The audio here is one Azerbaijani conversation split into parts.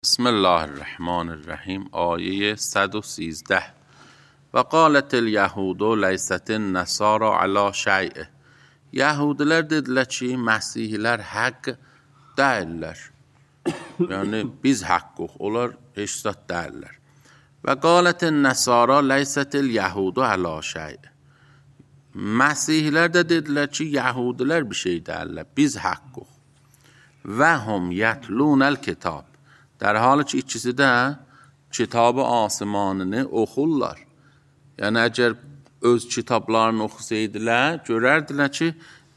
بسم الله الرحمن الرحیم. آیه 113. و قالت اليهود لیست النصارى علی شیء. Yahudilər dedilər ki, Məsihlər haqq deyirlər. Yəni biz haqqıq, onlar heç zat deyirlər. Və qalət el-nəsara leysətil yahudu əla şey. Məsihlər də dedilər ki, Yahudilər bir şey deyirlər, biz haqqıq. Və hum yatlunəl kitab. در حالی ki ikisi də kitab-ı asimanını oxurlar. Yəni əgər öz kitablarını oxusaydılar, görərdilər ki,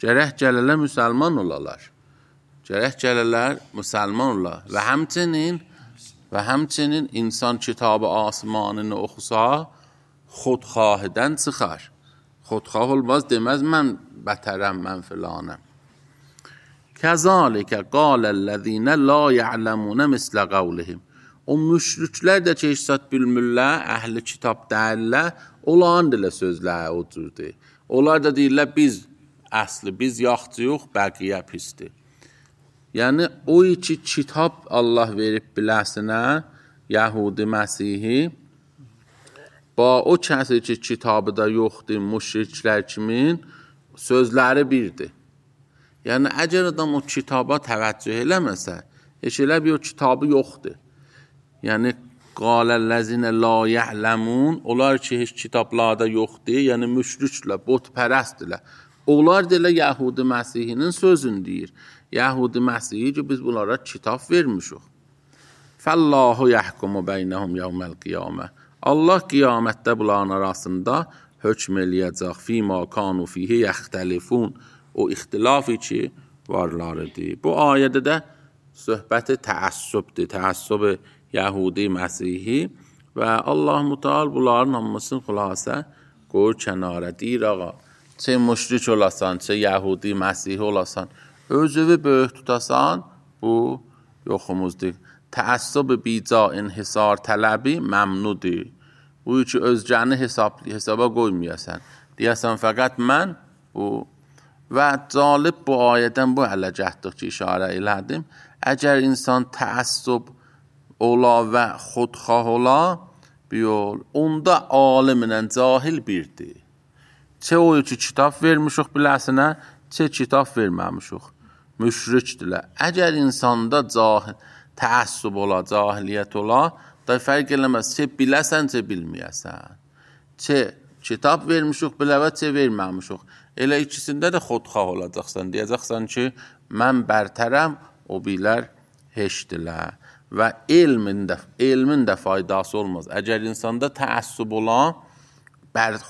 gərək gələlər müsəlman olalar. Gərək gələlər müsəlman olalar. Və həmçinin insan kitab-ı asimanını oxusa, xodxahıdan çıxar. Xodxah olmaz, deməz mən bətərəm, mən filanəm. Kəzalikə qalellezine la ya'lemune mislə qavlihim. O müşriklər də ki, heç zat bilmirlər, əhli kitab deyirlər, onların dilə sözləri o cürdür. Onlar da deyirlər, biz əsli, biz yaxçıyıq, bəqiyə pisdir. Yəni, o iki kitab Allah verib biləsinə, Yahudi Məsihi, ba o kəsi ki, kitabı da yoxdur, müşriklər kimin, sözləri birdir. Yəni, əgər adam o kitaba təvəccüh eləməsə, heç elə bir o kitabı yoxdur. Yəni, qaləlləzinə la ya'ləmun, onlar ki, heç kitablarda yoxdur, yəni müşriklər, botpərəstdirlər. Onlar deyə Yahudi Məsihinin sözünü deyir. Yahudi Məsihi ki, biz bunlara kitab vermişik. Fəllahu yəhkumu beynəhum yevməl qiyamə. Allah qiyamətdə bunların arasında hökm eləyəcək. Fīmā kanu fīhi yəxtəlifun. O ixtilafı ki, varlarıdır. Bu ayədə də söhbəti təəssübdür. Təəssüb Yahudi Məsihi və Allah-u Teala bunların hamısını xülasə qoyur kənara. Deyir, ağa, çə müşrik olasan, çə Yahudi Məsihi olasan, özünü böyük tutasan, bu yoxumuzdur. Təəssüb bica inhisar tələbi məmnudur. Bu ki, özgəni hesaba qoymayasan. Deyəsən, fəqət mən bu. Və calib bu ayədən bu ələcətdir ki, işarə elədim. Əgər insan təəssüb ola və xodxah ola, onda alimlə cahil birdir. Çə o ki, kitab vermişik biləsinə, çə kitab verməmişik. Müşrikdirlər. Əgər insanda təəssüb ola, cahiliyyət ola, da fərq eləməz, çə biləsən, çə bilməyəsən. Çə kitab vermişik bilə və çə verməmişik. Elə ikisində də xodxah olacaqsan. Deyəcəksən ki, mən bərtərəm, o bilər heçdilər. Və elmin də faydası olmaz. Əgər insanda təəssüb ola,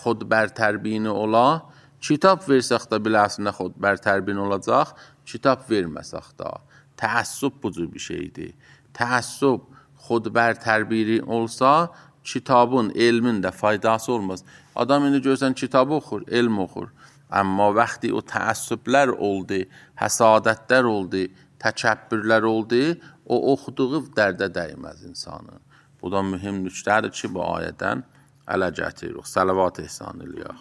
xodbər tərbiyini ola, kitab versək də biləsinə xodbər tərbiyini olacaq, kitab verməsək də. Təəssüb bu cür bir şeydir. Təəssüb xodbər tərbiyini olsa, kitabın, elmin də faydası olmaz. Adam indi görsən kitabı oxur, elm oxur. Amma vaxtı o təəssüblər oldu, həsadətlər oldu, təkəbbürlər oldu, o oxuduğu dərdə dəyməz insanın. Bu da mühüm nüqtədir ki, bu ayədən ələ gətiririk. Salavat ehsan eləyək.